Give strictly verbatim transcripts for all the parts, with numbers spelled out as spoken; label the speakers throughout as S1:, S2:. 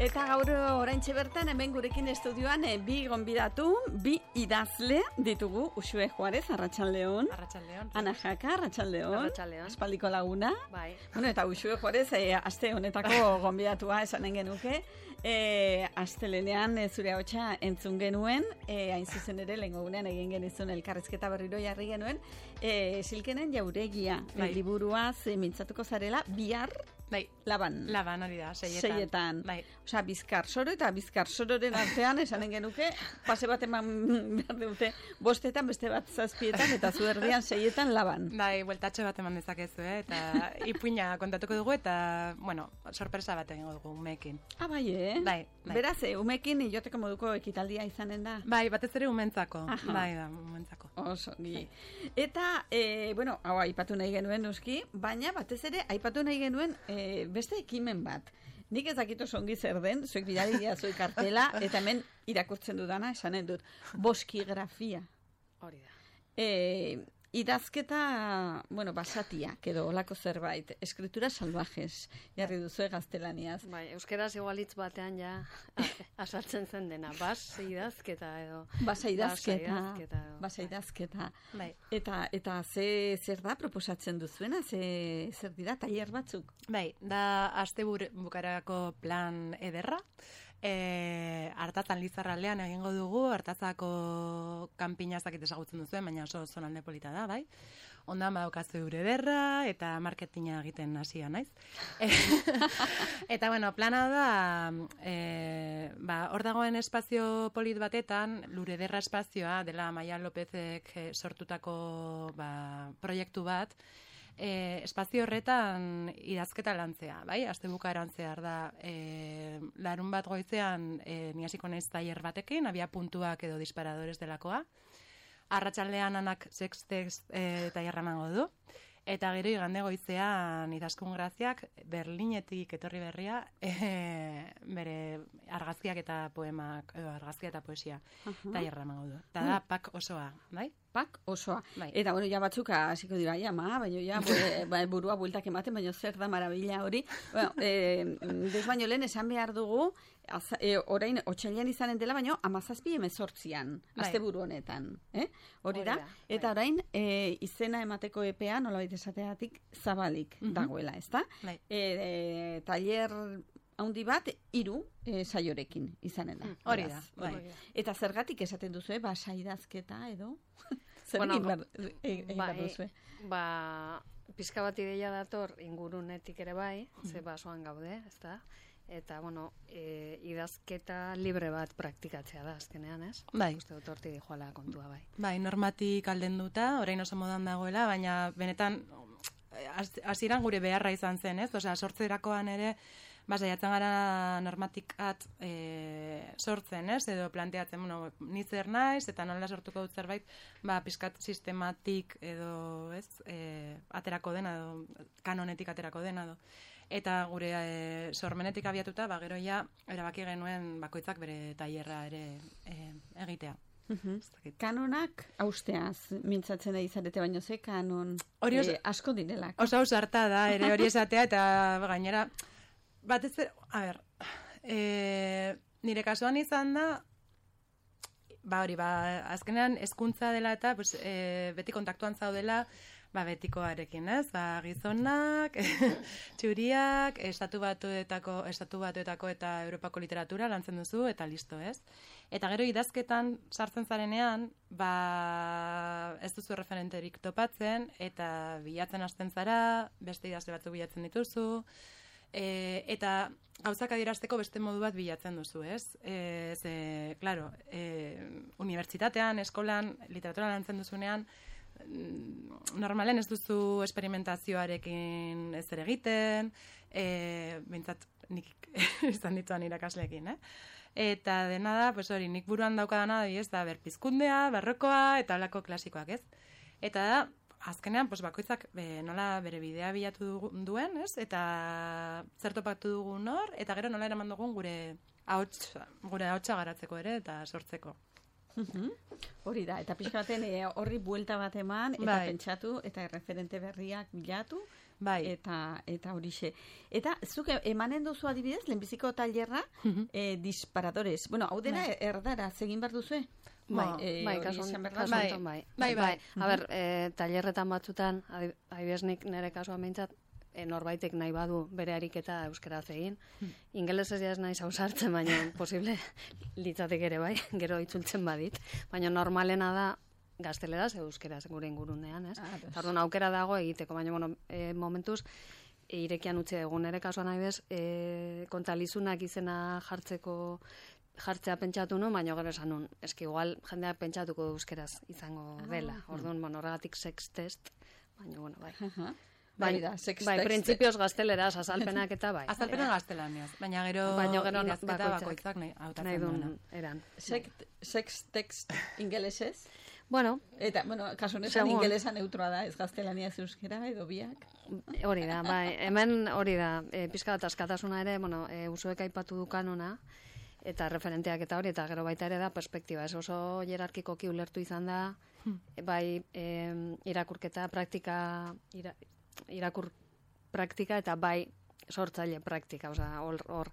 S1: Eta gaur oraintxe bertan hemen gurekin estudioan e, bi gonbidatu, bi idazle ditugu. Uxue Juarez, Arratsaldeon.
S2: Arratsaldeon.
S1: Ana Jaka, Arratsaldeon.
S2: Arratsaldeon.
S1: Aspaldiko laguna.
S2: Bai.
S1: Bueno, eta Uxue Juarez e, aste honetako gonbidatua esanen genuke. E, astelenean e, zure ahotsa entzun genuen, e, hain zuzen ere lehengo gunean egin genizun elkarrizketa berriro jarri genuen, e, Silkenen Jauregia
S2: Bai.
S1: liburuaz e, mintzatuko zarela bihar
S2: Bai.
S1: Laban.
S2: Laban hori da, seietan.
S1: Seietan.
S2: Bai.
S1: Osea, bizkar soro eta bizkar sororen artean esanen genuke, pase bat eman behar dute bostetan, beste bat zazpietan, eta zuerdian seietan Laban.
S2: Bai, bueltatxo bat eman dezakezu, eh? Eta ipuina kontatuko dugu, eta, bueno, sorpresa bat egingo dugu umeekin.
S1: Ah, bai, eh?
S2: Bai, bai.
S1: Beraz, eh, umeekin joteko moduko ekitaldia izanen da.
S2: Bai, batez ere umentzako.
S1: Aha.
S2: Bai, da, umentzako.
S1: Oso, gi. Eta, e, bueno, hau aipatu nahi genuen noski, baina batez ere aipatu nahi genuen e, beste ekimen bat. Nik ez dakit oso ongi zer den, zuek bidali zuek kartela, eta hemen irakurtzen dudana, esanen dut, boskigrafia.
S2: Hori da.
S1: E, idazketa, bueno, basatiak edo olako zerbait, escritura salvajes, jarri duzu gaztelaniaz.
S3: Bai, euskeraz igualitz batean ja azaltzen zen dena, bas idazketa edo.
S1: Basa idazketa,
S3: Basa idazketa edo.
S1: basa idazketa.
S2: Bai.
S1: Eta, eta ze, zer da proposatzen duzuena, ze, zer dira, tailer batzuk?
S2: Bai, da aste bukarako plan ederra. E, hartatan Lizarraldean egingo dugu, hartatzako kanpinazak ezagutzen duzuen, baina oso zonalde polita da, bai. Ondan badaukazu eure derra, eta marketinga egiten hasia naiz. E, eta, bueno, plana da, e, ba, hor dagoen espazio polit batetan, lure derra espazioa, dela Maia Lopezek sortutako ba, proiektu bat, E, espazio horretan idazketa lantzea, bai? Astebukaeran zehar da, e, larun bat goizean e, ni hasiko naiz tailer batekin, abia puntuak edo disparadores delakoa. Arratsaldean Anak sextext e, tailerra emango du. Eta gero igande goizean Idazkun Graziak Berlinetik etorri berria e, bere argazkiak eta poemak, edo argazkia eta poesia
S1: Uh-huh.
S2: tailerra emango du. Eta da pak osoa, bai?
S1: Pak osoa.
S2: Bai.
S1: Eta, bueno, ja batzuk hasiko dira, ja, ma, baina ja, ba, burua bueltak ematen, baina zer da marabila hori. Bueno, e, des baino lehen esan behar dugu, az, e, orain, otxailean izanen dela, baina amazazpi emezortzian,
S2: Bai.
S1: azte buru honetan. Eh? Hori
S3: Hori
S1: da,
S3: da,
S1: eta
S3: bai.
S1: orain, e, izena emateko epea, nolabait esateatik, zabalik
S2: Mhm.
S1: dagoela, ezta?
S2: Bai.
S1: E, e, taller haundi bat, hiru e, saiorekin izanen da.
S2: Mm, hori
S1: Beraz,
S2: da, bai.
S1: hori. Eta zergatik esaten duzu, eh, basa idazketa edo? Zer
S3: Bueno,
S1: egin behar, egin behar
S3: Bai,
S1: duzu?
S3: ba, pizka bat ideia dator ingurunetik ere bai, ze basoan gaude, ezta? Eta, bueno, e, idazketa libre bat praktikatzea da, azkenean, ez?
S2: Bai.
S3: Uste dut horti dijoala kontua bai.
S2: Bai, normatik aldenduta, orain oso modan dagoela, baina benetan hasieran gure beharra izan zen, ez? Osea, sortzerakoan ere, ba, saiatzen gara normatikat e, sortzen, ez? Edo planteatzen, bueno, ni zer naiz, eta nola sortuko dut zerbait, ba, pizkat sistematik edo, ez? E, aterako dena, edo, kanonetik aterako dena, edo. Eta gure e, sormenetik abiatuta, ba, gero ja, erabaki genuen bakoitzak bere tailerra ere e, egitea.
S1: Mhm. Kanonak austeaz mintzatzen da izarete, baino ze kanon
S2: Hori oso-
S1: eh, asko direlak.
S2: Oso ausarta da, ere hori esatea, eta gainera, batez ere, a ber, e, nire kasuan izan da, ba hori, ba, azkenean hezkuntza dela eta pues, e, beti kontaktuan zaudela, ba, betikoarekin, ez? Ba, gizonak, txuriak, estatu batuetako, estatu batuetako eta Europako literatura lantzen duzu, eta listo, ez? Eta gero idazketan sartzen zarenean, ba, ez duzu referenterik topatzen, eta bilatzen hasten zara, beste idazle batzuk bilatzen dituzu, e, eta gauzak adierazteko beste modu bat bilatzen duzu, ez? E, ze, claro, e, unibertsitatean, eskolan, literatura lantzen duzunean, normalen ez duzu esperimentazioarekin ez ere egiten, e, bintzat nik izan dituan irakasleekin, eh? Eta dena da, pues hori, nik buruan daukadana, ez da, berpizkundea, barrokoa, eta holako klasikoak, ez? Eta da, azkenean, pues bakoitzak be, nola bere bidea bilatu dugu- duen, ez? Eta zer topatu dugun hor, eta gero nola eraman dugun gure ahots, gure ahotsa garatzeko ere, eta sortzeko.
S1: Mhm. Hori da, eta pixka baten eh, horri buelta bat eman, eta
S2: Bai.
S1: pentsatu, eta referente berriak bilatu,
S2: Bai.
S1: Eta eta horixe. Eta zuk emanen duzu adibidez, lehenbiziko tailerra,
S2: Mhm.
S1: eh, disparadores. Bueno, hau dena
S2: Bai.
S1: erdara, egin behar duzue?
S3: Bai,
S1: Eh,
S3: bai,
S1: hori
S3: kasu
S1: esan behar da.
S3: kasu
S2: Bai.
S3: honetan bai.
S2: Bai, bai.
S3: A ber, eh, tailerretan batzutan, adi- adibidez nik nire kasuan behintzat, e, norbaitek nahi badu bere ariketa euskaraz egin. Ingelesez ja ez naiz ausartzen, baina posible litzatek ere bai, gero itzultzen badit. Baina normalena da gazteleraz euskeraz gure ingurunean, ez?
S1: Ah,
S3: Eta orduan aukera dago egiteko, baina bueno, e, momentuz e, irekian utzi dugu nire kasuan adibidez, e, kontalizunak izena jartzeko jartzea pentsatu nu, baina gero esan nun, eski igual jendeak pentsatuko du euskeraz izango dela. Orduan, bueno, horregatik sex test, baina bueno, bai.
S1: Aha.
S3: Bai,
S1: Bai, da, sex
S3: bai,
S1: text.
S3: printzipioz gazteleraz, azalpenak eta bai.
S2: Azalpena gaztelaniaz, baina gero
S3: Baina gero
S2: idazketa
S3: bakoitzak.
S2: bakoitzak nahi hautatzen
S3: nahi
S2: duena.
S3: duen eran.
S1: Sex, sex text ingelesez.
S3: Bueno,
S1: Eta, bueno, kasu honetan
S3: Segun.
S1: ingelesa neutroa da, ez gaztelania ez euskera, edo biak.
S3: hori da, bai, hemen hori da, e, pizka bat askatasuna ere, bueno, e, usuek aipatu du kanona, eta referenteak eta hori, eta gero baita ere da perspektiba, ez oso jerarkikoki ulertu izan da, e, bai e, irakurketa, praktika, ira, irakur praktika, eta bai sortzaile praktika, osea, hor, hor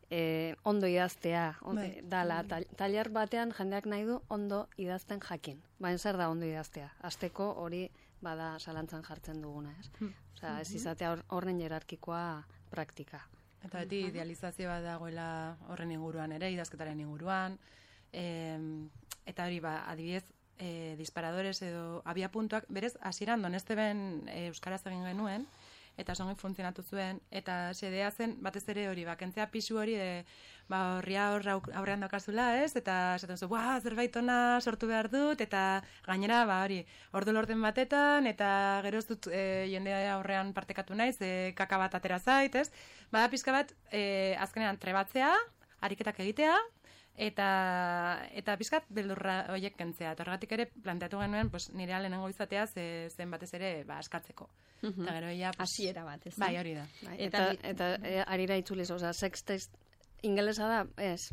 S3: e, ondo idaztea, on,
S2: Bai.
S3: dala, tal- tailer batean jendeak nahi du ondo idazten jakin. Baina zer da ondo idaztea? Azteko hori bada zalantzan jartzen duguna, ez? Osea, ez izatea hor- horren jerarkikoa praktika.
S2: Eta beti idealizazio bat dagoela horren inguruan ere, idazketaren inguruan. Em, eta hori, ba, adibidez, e, disparadores edo abia puntuak, berez, hasieran doneste ben e, euskaraz egin genuen, eta songi funtzionatu zuen, eta xedea zen, batez ere hori, bakentzea pisu hori, de, ba, horria hor auk- aurrean daukazula, ez? Eta esaten zu, ba, zerbait ona sortu behar dut, eta gainera, ba, hori, ordu lorten batetan, eta gero ez dut e, jendea aurrean partekatu naiz, e, kaka bat atera zait, ez? Bada pizka bat, e, azkenean trebatzea, ariketak egitea, eta eta pizkat beldurra horiek kentzea. Eta horregatik ere planteatu genuen, pues, nire lehenengo izatea ze, zen batez ere ba, askatzeko. Eta gero ja, pues,
S1: Hasiera bat, ez da?
S2: bai, hori da.
S3: Bai,
S1: Eta
S3: eta, eta, e, arira itzuliz, osea, sex text ingelesa da, ez.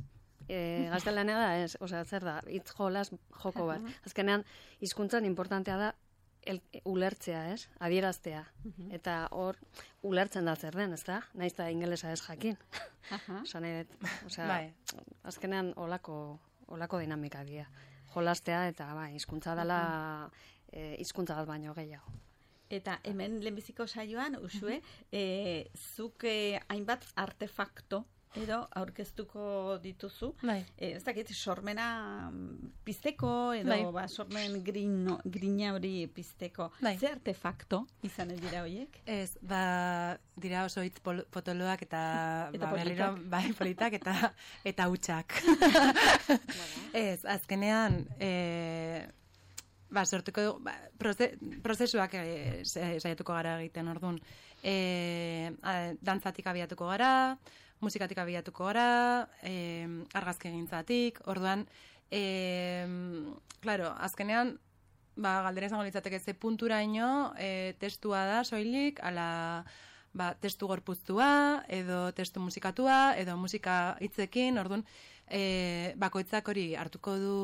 S3: E, gaztelania da, ez. Osea, zer da, hitz jolas joko bat. Azkenean, hizkuntzan importantea da el, ulertzea, ez? Adieraztea. Eta hor, ulertzen da zer den, ez da? Naiz da ingelesa ez jakin.
S1: Aha.
S3: Osa nahi dut, osea,
S2: Bai.
S3: azkenean olako, olako dinamika dira. Jolastea eta, bai, hizkuntza dela e, hizkuntza bat baino gehiago.
S1: Eta hemen lehenbiziko saioan, usue, e, zuk e, hainbat artefakto edo aurkeztuko dituzu.
S2: Bai.
S1: E, ez dakit, sormena mm, pizteko edo
S2: Bai.
S1: ba, sormen grino, grina hori pizteko.
S2: Bai.
S1: Ze artefakto izanen dira horiek?
S2: Ez, ba, dira oso hitz pol- potoloak eta,
S1: Eta
S2: ba, berriro,
S1: politak.
S2: bai, politak eta eta hutsak. Ez, azkenean, e, ba, sortuko du, ba, proze, prozesuak e, sa- saiatuko gara egiten, orduan. E, a, dantzatik abiatuko gara, musikatik abiatuko gara, e, argazki egintzatik, orduan, e, claro, azkenean, ba, galdera izango litzateke ze punturaino e, testua da soilik, ala ba, testu gorpuztua, edo testu musikatua, edo musika hitzekin, orduan, e, bakoitzak hori hartuko du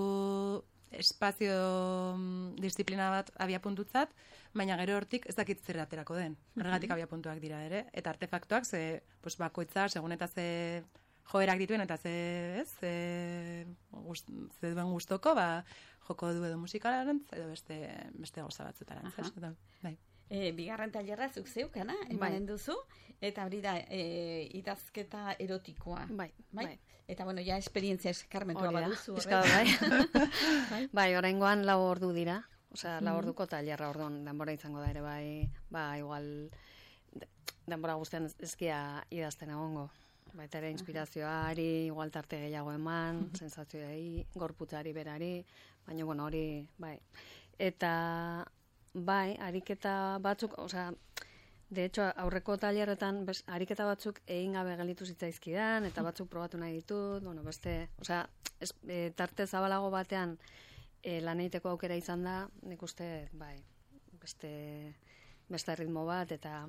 S2: espazio mm, disiplina bat abiapuntutzat, baina gero hortik ez dakit zer aterako den. Horregatik abiapuntuak dira ere, eta artefaktuak ze pues, bakoitza segun eta ze joerak dituen eta ze, ez, ze, gust, ze duen gustoko, ba, joko du edo musikarantz, edo beste, beste gauza batzutarantz.
S1: Aha.
S2: ez? Eta, bai.
S1: E, bigarren tailerra zuk zeukana, emanen duzu, eta hori da e, idazketa erotikoa.
S3: Bai, bai.
S1: Eta bueno, ja esperientzia eskarmentua
S3: Hori da,
S1: baduzu.
S3: pizka
S1: horrek.
S3: bat, bai. Bai, oraingoan lau ordu dira. Osea, lau orduko tailerra, orduan denbora izango da ere bai, ba igual de- denbora guztian ez- ezkia idazten egongo. Baita ere inspirazioari, igual tarte gehiago eman, sensazioei, gorputzari berari, baina bueno, hori, bai. Eta bai, ariketa batzuk, osea, de hecho, aurreko tailerretan bes, ariketa batzuk egin gabe gelditu zitzaizkidan, eta batzuk probatu nahi ditut, bueno, beste, osea, ez, e, tarte zabalago batean e, lan egiteko aukera izan da, nik uste, bai, beste, beste ritmo bat, eta,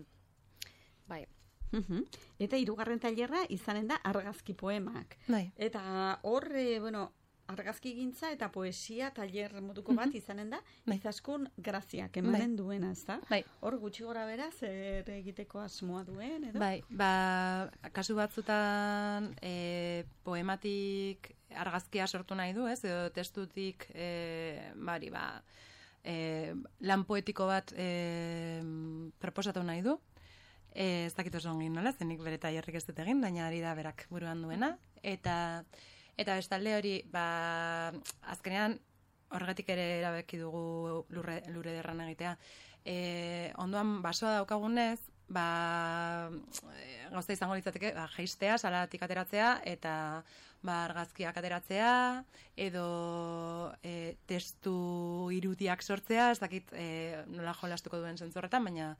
S3: bai,
S1: Mhm. Eta hirugarren tailerra izanen da argazki poemak.
S2: Bai.
S1: Eta hor, e, bueno, argazkigintza eta poesia tailer moduko bat izanen da, izaskun graziak emanen duena, ezta?
S2: Bai.
S1: Hor gutxi gora bera, zer egiteko asmoa duen, edo?
S2: Bai, ba, kasu batzutan e, poematik argazkia sortu nahi du, ez? Edo testutik, e, bari, ba, e, lan poetiko bat e, proposatu nahi du. E, ez dakit oso ongin nola, zenik bere tailerrik ez dut egin, baina ari da berak buruan duena. Eta, eta bestalde hori, ba, azkenean, horregatik ere erabaki dugu lurre, lurre derran egitea. E, ondoan basoa daukagunez, ba, gauza izango litzateke, ba, jeistea, salatik ateratzea, eta ba, argazkiak ateratzea, edo e, testu irudiak sortzea, ez dakit e, nola jolastuko duen zentzorretan, baina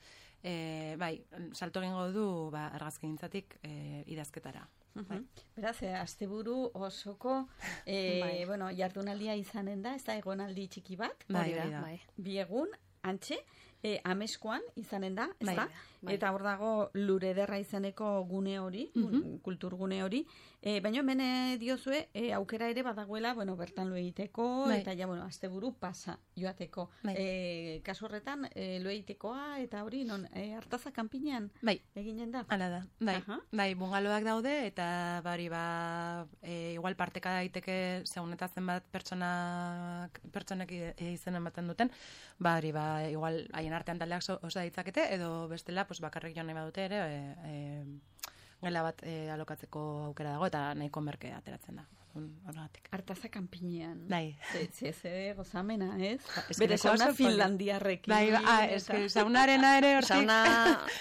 S2: e, bai, salto egingo du ba, argazkigintzatik e, idazketara. Bai.
S1: Beraz, eh, asteburu osoko eh, bai. bueno, jardunaldia izanen da, ez da egonaldi txiki bat,
S2: bai, bai, bai.
S1: bi egun, antxe, E, ameskoan izanen da, ez
S2: bai,
S1: da?
S2: Bai.
S1: Eta hor dago lur ederra izeneko gune hori, mm-hmm. kulturgune hori. E, baina hemen diozue, e, aukera ere badagoela, bueno, bertan lo egiteko, bai. Eta ja, bueno, asteburu pasa joateko. Bai. E, kasu horretan, e, lo egitekoa, eta hori, non, e, Artaza kanpinean
S2: bai.
S1: eginen da?
S2: Hala da, bai. Uh-huh. Bai, bungaloak daude, eta bari, ba, e, igual parteka daiteke segunetazen bat pertsonak, pertsonek izenen baten duten, bari, ba, igual, haien artean taldeak osa ditzakete, edo bestela, pues, bakarrik joan nahi badute ere, e, e, gela bat e, alokatzeko aukera dago, eta nahiko merke ateratzen da. Horregatik.
S1: Artaza kanpinean.
S2: Bai.
S1: Ze ze gozamena, ez?
S2: Es
S1: Bere sauna finlandiarrekin.
S2: Bai, ah, es que saunarena ere hortik.
S3: Sauna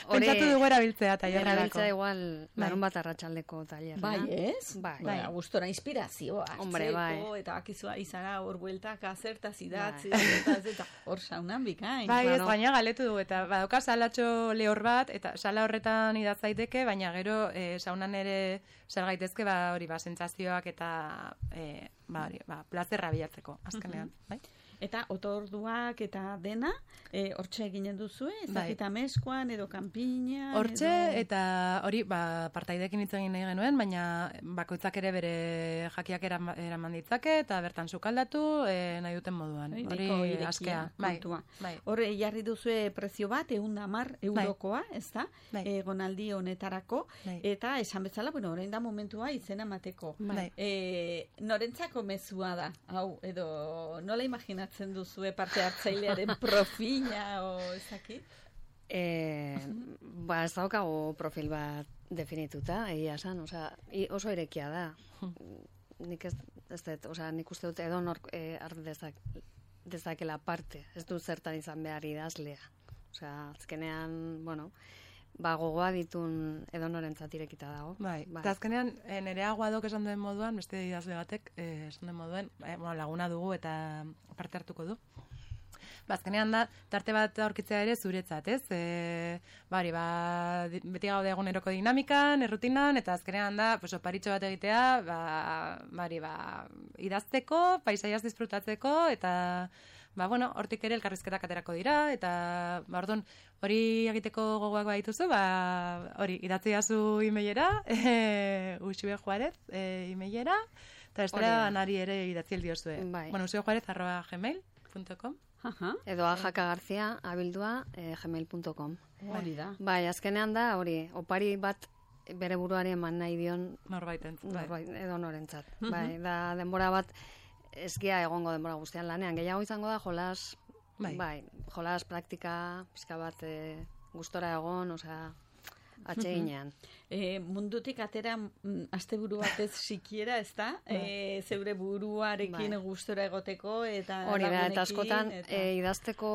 S3: hori
S2: pentsatu dugu erabiltzea tailerrerako.
S3: Erabiltzea igual larun bat arratsaldeko tailerra.
S1: Bai, ez?
S3: Bai.
S1: Bai, gustora inspirazioa.
S3: Hombre, bai.
S1: Eta bakizua izara hor bueltak azertaz idatzi, eta eta hor saunan bikain.
S2: Bai, ez, baina galetu dugu, eta badauka salatxo lehor bat, eta sala horretan idatz daiteke, baina gero e, saunan ere sal gaitezke, ba, hori, ba, sentsazioak eta e, ba, hori, ba, plazerra bilatzeko, azkenean, uh-huh. bai?
S1: Eta otorduak eta dena, e, hortxe eginen duzu, ez bai. Dakita meskoan edo kanpinean.
S2: Hortxe,
S1: edo...
S2: eta hori, ba, partaidekin hitz egin nahi genuen, baina bakoitzak ere bere jakiak eraman, eraman ditzake, eta bertan sukaldatu e, nahi duten moduan. Hori askea. Bai,
S1: bai. Hor, jarri duzue prezio bat, ehun eta hamar eurokoa, bai. Ez da? Bai. Egonaldi honetarako, bai. Eta esan bezala, bueno, orain da momentua izena emateko. Bai. E, norentzako mezua da, hau, edo nola imaginatzen duzue parte hartzailearen profila o ezakit?
S3: Eh, ba, ez daukagu profil bat definituta, egia esan, osea, oso irekia da. Nik ez, ez dut, osea, nik uste dut edo nor eh, art dezak, dezakela parte, ez dut zertan izan behar idazlea. Osea, azkenean, bueno, ba, gogoa ditun edo norentzat irekita dago.
S2: Bai, bai. Eta azkenean, nire aguadok esan duen moduan, beste idazle batek, eh, esan duen moduan, eh, bueno, laguna dugu eta parte hartuko du. Ba, azkenean da, tarte bat aurkitzea ere zuretzat, ez? E, bari, ba, beti gaude eguneroko dinamikan, errutinan, eta azkenean da, pues, oparitxo bat egitea, ba, bari, ba, idazteko, paisaiaz disfrutatzeko, eta, ba, bueno, hortik ere elkarrizketak aterako dira, eta, ba, orduan, hori egiteko gogoak badituzu, ba, hori, idatzi dazu emailera, e, Uxue Juarez, e, emailera, eta bestela nari ere idatzi eldiozue.
S3: Bai.
S2: Bueno, uxue juarez arroba gmail punto com.
S1: Aha.
S3: Edo ajaka garzia abildua eh, gmail punto com.
S1: Hori da.
S3: Bai, azkenean da, hori, opari bat bere buruari eman nahi dion
S2: norbaitentzat,
S3: norbait, edo norentzat. Uh-huh. Bai, da denbora bat eskia egongo denbora guztian lanean. Gehiago izango da jolas, bai, bai jolas praktika, pizka bat e, gustora egon, osea, atxeginean.
S1: E, mundutik atera m, asteburu batez sikiera, ez da? E, zeure buruarekin bai. Gustora egoteko eta
S3: hori da, eta askotan eta... E, idazteko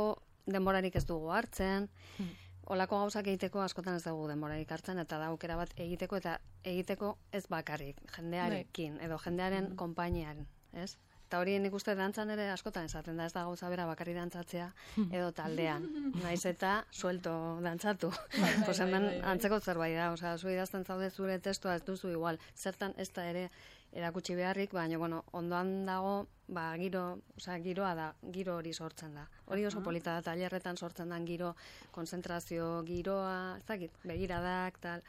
S3: denborarik ez dugu hartzen, hmm. olako gauzak egiteko askotan ez dugu denborarik hartzen, eta da aukera bat egiteko eta egiteko ez bakarrik, jendearekin, edo jendearen hmm. konpainian, ez? Eta hori nik uste dantzan ere askotan esaten da, ez da gauza bera bakarri dantzatzea edo taldean. Naiz eta suelto dantzatu. Bai, bai, pues hemen bai, bai, bai. Antzeko zerbait da, osea, zu idazten zaude zure testua ez duzu igual. Zertan ez da ere erakutsi beharrik, baina bueno, ondoan dago, ba giro, osea, giroa da, giro hori sortzen da. Hori oso polita da, tailerretan sortzen den giro, konzentrazio giroa, ez dakit, begiradak tal.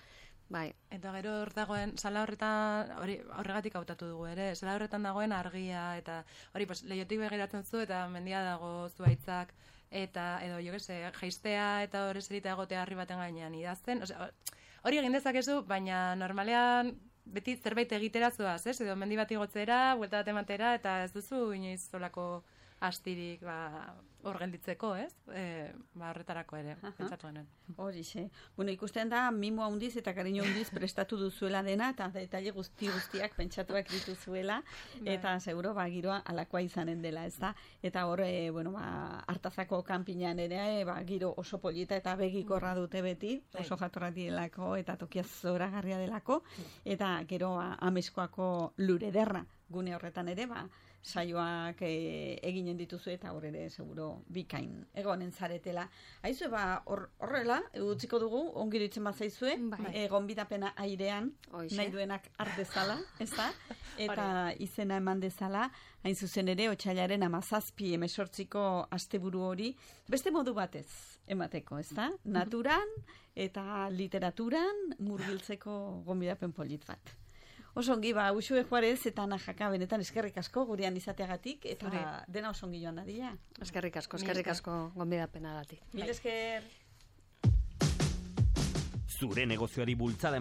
S3: Bai.
S2: Eta gero hor dagoen, sala horretan, hori horregatik hautatu dugu ere, sala horretan dagoen argia, eta hori, pues, lehiotik begiratzen zu, eta mendia dago zuaitzak, eta, edo, jo gese, jaistea, eta hori zerita egotea harri baten gainean idazten, osea, hori egin dezakezu, baina normalean, beti zerbait egitera zuaz, ez? Edo mendi bat igotzera, buelta bat ematera, eta ez duzu inoiz zolako astirik, ba, hor gelditzeko, ez? E, ba, horretarako ere, pentsatu genuen.
S1: Horixe. Bueno, ikusten da, mimo handiz eta kariño handiz prestatu duzuela dena, eta detaile guzti guztiak pentsatuak dituzuela, eta seguro, ba, giroa alakoa izanen dela, ez da? Eta hor, e, bueno, ba, Artazako kanpinan ere, e, ba, giro oso polita eta begikorra dute beti, oso jatorrak direlako, eta tokia zoragarria delako, eta gero, ba, Ameskoako lur ederra, gune horretan ere, ba, saioak e, eginen dituzu eta hor ere seguro bikain egonen zaretela. Aizu, ba, horrela, utziko dugu, ongi ditzen bat zaizue,
S3: bai.
S1: e, gonbidapena airean,
S3: Hoixe.
S1: nahi duenak ardezala, ez da? Eta izena eman dezala, hain zuzen ere, otsailaren amazazpi emesortziko asteburu hori, beste modu batez emateko, ez da? Naturan eta literaturan murgiltzeko gonbidapen polit bat. Oso ongi, ba, Uxue Juarez eta Najaka benetan eskerrik asko gurean izateagatik, eta
S2: Zure.
S1: dena oso ongi joan dadila.
S3: Eskerrik asko, eskerrik asko gonbidapenagatik.
S1: Mil esker.
S4: Zure negozioari bultzada